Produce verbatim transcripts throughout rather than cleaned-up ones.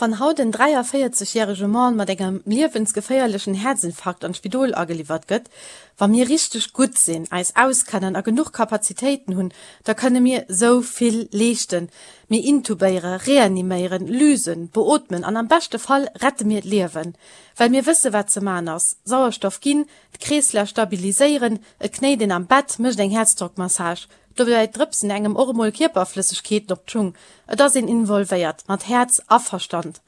Wann haut en dräiavéierzeg järege Mann mat engem liewensgeféierlechen Häerzinfarkt an d'Spidol ageliwwert gëtt, wa mir richteg gutt sinn, eis auskennen a genuch Kapazitéiten hunn, da kënne mir sou vill leeschten. Mir intubéiere, reaniméieren, lysen, beootmen an am beschte Fall rette mir d'Liewen. Well mir wësse wat ze man ass, Sauerstoff ginn, d'Kreeslaf stabiliséieren, et knéit een am Bett, mécht eng Häerzdrockmassage. Dobäi drëpsen engem och emol Kierperflëssegkeeten op d'Schung. Et ass een involvéiert, mat Häerz a Verstand.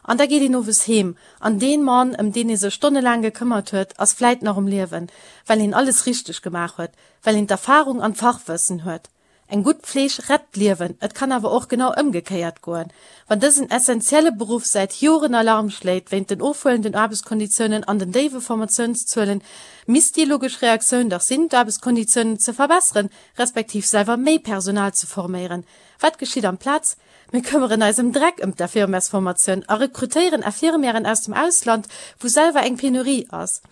An da geet een owes heem, an dee Mann, ëm deen ee sech stonnelaang gekëmmert huet, ass vläit nach um Liewen, well een alles richteg gemaach huet, well een d'Erfarung an d'Fachwëssen huet. Eng gutt Fleeg rett d'Liewen, et kann awer och genau ëmgekéiert goen. Wann dësen essentielle Beruff säit Joren Alarm schléit wéint den ofhuelenden Aarbechtskonditiounen an den déiwe Formatiounszuelen, misst déi logesch Reaktioun dach sinn, d'Aarbechtskonditiounen ze verbesseren, respektiv selwer méi Personal ze forméieren. Wat geschitt amplaz? Mir këmmeren eis ëm Dreck ëm d'Infirmièrsformatioun a rekrutéieren Infirmièren aus dem Ausland, wou selwer eng Penurie ass.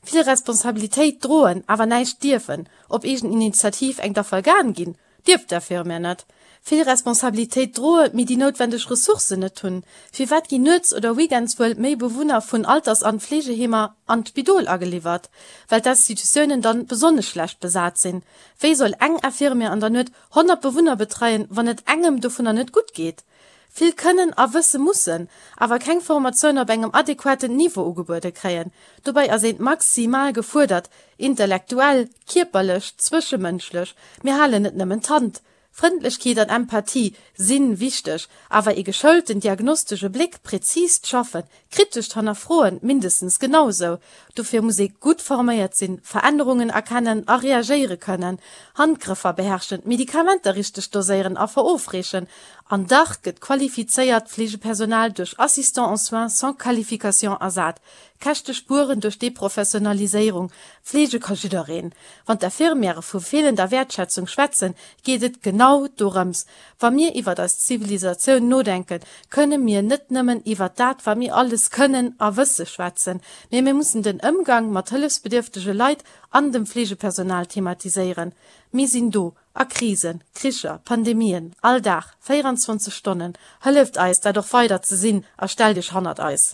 Vill Responsabilitéit droen, awer näischt dierfen, op eegen Initiativ eng Dafalgan ginn, dierf d'Infirmière net. Vill Responsabilitéit droen, mee déi noutwendeg Ressourcen net hunn. Firwat ginn nuets oder weekends wuel méi Bewunner vun Alters an Fleegeheemer an d'Spidol ageliwwert? Well d'Institutiounen dann besonnesch schlecht besat sinn. Wéi soll eng Infirmière an der Nuet honnert Bewunner betreien, wann et engem dovunner net gutt geet? Vill kënnen a wësse mussen, awer keng Formatioun op engem adequaten Niveau ugebuede kréien. Dobäi ass een maximal gefuerdert, intellektuell, kierperlech, zwëschemënschlech. Mir halen net nëmmen d'Hand. Frëndlechkeet an Empathie si wichteg, awer ee geschoulten diagnostesche Bléck, präzist Schaffen, kritescht Hannerfroen mindestens genau sou. Dofir muss ee gutt forméiert sinn, Verännerungen erkennen a reagéiere kënnen, Handgrëffer beherrschen, Medikamenter richteg doséieren a verofreechen. An dach gëtt qualifizéiert Fleegepersonal duerch Assistants en soins sans qualification ersat. Käschte spueren duerch Deprofessionaliséierung. Fleege ka jiddereen. Wann d'Infirmièrë vu feelender Wäertschätzung schwätzen, geet et genau dorëms. Wa mir iwwer eis Zivilisatioun nodenken, kënne mir net nëmmen iwwer dat, wat mir alles kënnen a wësse schwätzen, mee mir mussen den Ëmgang mat hëllefsbedierftege Leit an dem Fleegepersonal thematiséieren. Mir sinn do, a Krisen, Kricher, Pandemien, all Dag, véieranzwanzeg Stonnen. Hëlleft eis, dat och weider ze sinn a stellt iech hannert eis.